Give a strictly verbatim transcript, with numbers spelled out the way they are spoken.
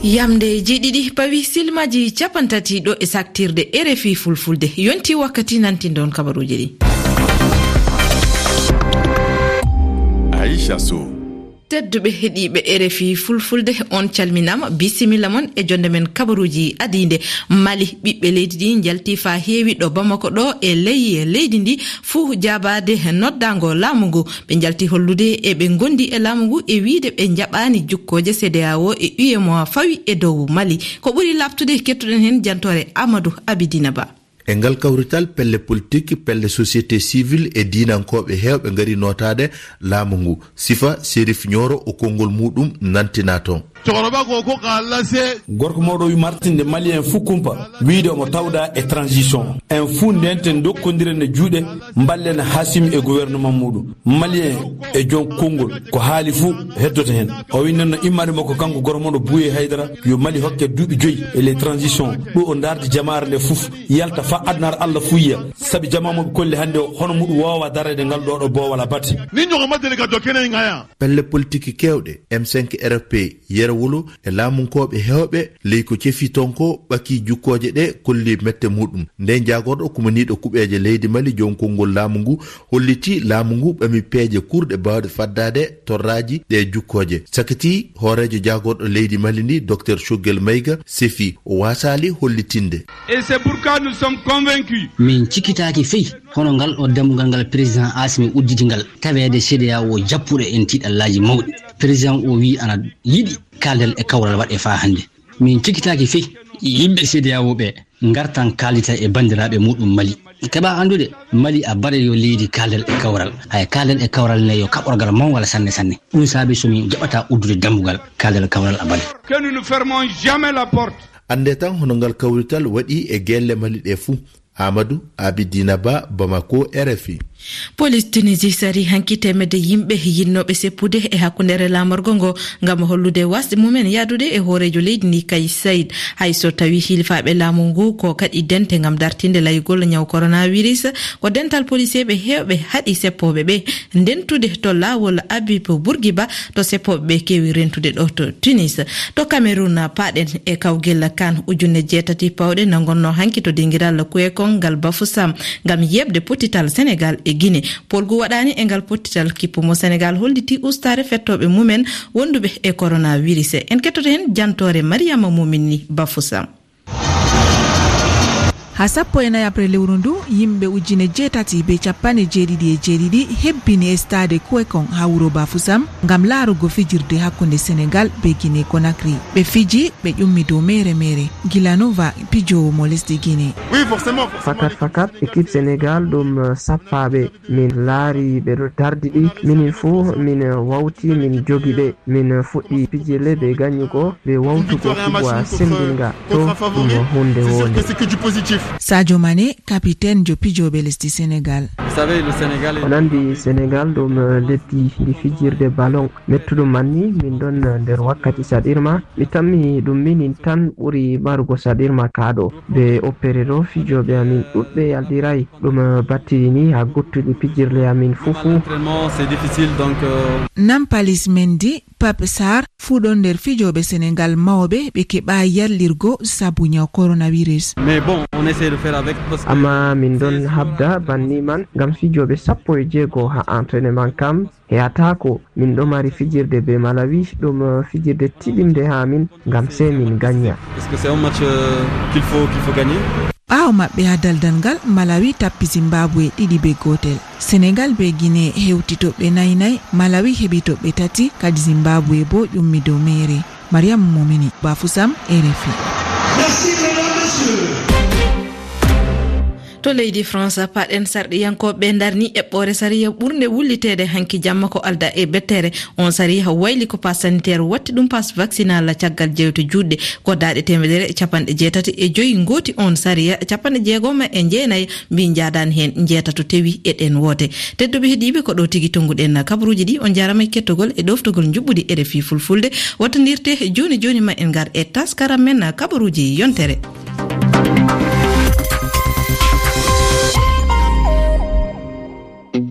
Yamde jeeɗiɗi pawi silmaaji capanɗe tati ɗo e saktirde R F I Fulfulde. Yonti wakkati nantinɗon kabaruuji ɗi. Aisha Sow. Tedduɓe heɗiiɓe R F I Fulfulde, on calminaama, bisimilla mon e jonde men kabaruuji adiinde. Mali, ɓiɓɓe leydi ɗi njalti faa heewi ɗo Bamako ɗo e ley leydi ndi fuu jaabaade noddaango laamu ngu. Ɓe njalti hollude e ɓe ngondi e laamu ngu e wiide ɓe njaɓaani jukkooje C D A O e U E M O A fawi e dow Mali. Ko ɓuri laaɓtude, kettuɗen heen jantoore Amadou Abidina Ba. E ngal kawrital, pelle politik, pelle société civile e diinankooɓe heewɓe ngari nootaade laamu ngu. Sifa Serif Nioro o konngol muɗum nantina toon. Cɛkɔrɔba ko ko k'a lase. Gorko mawɗo wi martinde Malien fuu kumpa, wiide omo tawda e transition. En fuu ndenten, dokkondiren e juuɗe, mballen Hasim e gouvernement muɗum. Malien e joom konngol, ko haali fuu heddoto heen. O wi noon no immande makko kanko gorko mawɗo Buye Haydara, yo Mali hokke duuɓi joyi e les transitions. Ɗo o ndaardi jamaare nde fuf, yalta faa aduna ara, Allah fuu yiya. Sabi jamaa mo ɓe kolli hannde o, hono muɗum woowa dareede ngal ɗo ɗo boowal abada. Ni ɲɔgɔn ma deli ka dɔ kɛnɛ in kan yan. Pelle politiki keewɗe, M cinq R P, Yero Wolo e laamunkooɓe heewɓe ley ko cefi toon ko ɓakii jukkooje ɗe kolli mette muɗum. Nden jaagorɗo kumaniiɗo kuɓeeje leydi Mali, joom konngol laamu ngu, holliti laamu ngu ɓami peeje kurɗe baawɗe faddaade torraaji ɗe jukkooje. Sakitii hooreejo jaagorɗo leydi Mali ndi, Docteur Choguel Maïga, sefi o waasaali hollitinde. Et c'est pourquoi nous sommes convaincus. Min cikkitaaki fey hono ngal ɗo dambugal ngal président Assimi udditi ngal, taweede C D A O o jappuɗo en tiiɗallaaji mawɗi. Président o wii ana yiɗi kaaldal e kawral waɗe faa hannde. Min cikkitaaki fey yimɓe C D A O ɓe ngartan kaaldita e banndiraaɓe muɗum Mali. Keɓa anndude, Mali a bare yo leydi kaaldal e kawral. Hay kaaldal e kawral ne yo kaɓorgal mawngal sanne sanne. Ɗum saabi so min jaɓata uddude dambugal kaaldal e kawral a bare. Que nous ne fermons jamais la porte. Annde tan hono ngal kawrital waɗi e gelle Mali ɗe fuu. Amadou Abidina Ba, Bamako, R F I. Police Tunisie sari hanki teemedde yimɓe yinnooɓe seppude e hakkundeere laamorgo ngo ngam hollude wasde mumen yahdude e hooreejo leydi ndi, Kais Saied. Hay so tawii hilifaaɓe laamu ngu ko kaɗi dente ngam dartinde layugol ñaw coronavirus, ko dental poliseeɓe heewɓe haɗi seppooɓe ɓe ndentude to laawol Habib Bourguiba to seppooɓe ɓe keewi rentude ɗo to Tunis. To Cameroun, paaɗen e kawgel kan ujunere jeetati pawɗe nangonnoo hanki to dingiral Kuekong ngal Bafoussam ngam yeeɓde pottital Senegal e Guinée. Poolgu waɗaani e ngal pottital, kippu mo Senegal holliti ustaare fettooɓe mumen wonduɓe e coronavirus. En kettoto heen jantoore Mariama Momini Bafoussam. Haa sappo e nayi abril lewru ndu, yimɓe ujine jeetati be capanɗe jeeɗiɗi e jeeɗiɗi hebbini e stade Kuekong haa wuro Bafoussam ngam laarugo fijirde hakkunde Senegal be Guinée Conakry. Ɓe fiji, ɓe ƴummi dow meere meere. Gilanova, pijoowo mo lesdi Guinée. Fakat, fakat, équipe Senegal ɗum, eh, sappaaɓe. Min laari ɓe ɗo dardi ɗi. Minin fuu min wawti, min jogi ɓe. Min fuɗɗi pijirle be ganyugo, be wawtugo kuwa sembinga. To ɗum hunde wonde. Sadio Mané, capitaine jo pijooɓe lesdi Senegal. On andi Senegal ɗum, eh, leddi ndi fijirde ballon. Mettuɗum manni, min ɗon, eh, nder wakkati saɗirma. Mi tammi ɗum minin tan ɓuri marugo saɗirma kaa ɗo. Be opere ɗo, fijooɓe amin ɗuɗɓe yaldiray. Ɗum, eh, battini haa guttuɗi pijirle amin fuu fuu. L'entraînement, c'est difficile, donc, euh, Nampalis Mendy, Pape Sarr, fuu ɗon nder fijooɓe Senegal mawɓe ɓe keɓaay yallirgo sabu ñaw coronavirus. Mais bon, on essaie de faire avec parce que Amma min ɗon habda banni man ngam fijooɓe sappo e jeego haa entraînement kam. Heyataako, min ɗo mari fijirde be Malawi, ɗum, eh, fijirde tiɗinde haa min, ngam sey min ganya. Parce que c'est un match, euh, qu'il faut, qu'il faut gagner. Ɓaawo maɓɓe haa daldal ngal, Malawi tappi Zimbabwe ɗiɗi be gootel. Senegal be Guinée hewti toɓɓe nayi nayi, Malawi heɓi toɓɓe tati, kadi Zimbabwe boo ƴummi dow meere. Mariam Momini, Bafoussam, R F I. To leydi France, paaɗen sarɗiyankooɓe ɓe ndarni eɓɓoore sariya ɓurnde wulliteede hanki jamma ko alda e bettere. On sariya wayli ko pass sanitaire, watti ɗum pass vaccinal caggal jewte juutɗe. Ko daaɗe teemedere e capanɗe jeetati e joyi ngooti on sariya, capanɗe jeegom e jeenayi mbi njaadaani heen, njeetato tewi e ɗeen woote. Tedduɓe heɗiiɓe, ko ɗo tigi tonnguɗen kabaruuji ɗi. On njaaraama e kettogol e ɗoftogol njuɓɓudi R F I Fulfulde. Wattondirte jooni jooni ma en ngar e taskaram men kabaruuji yontere.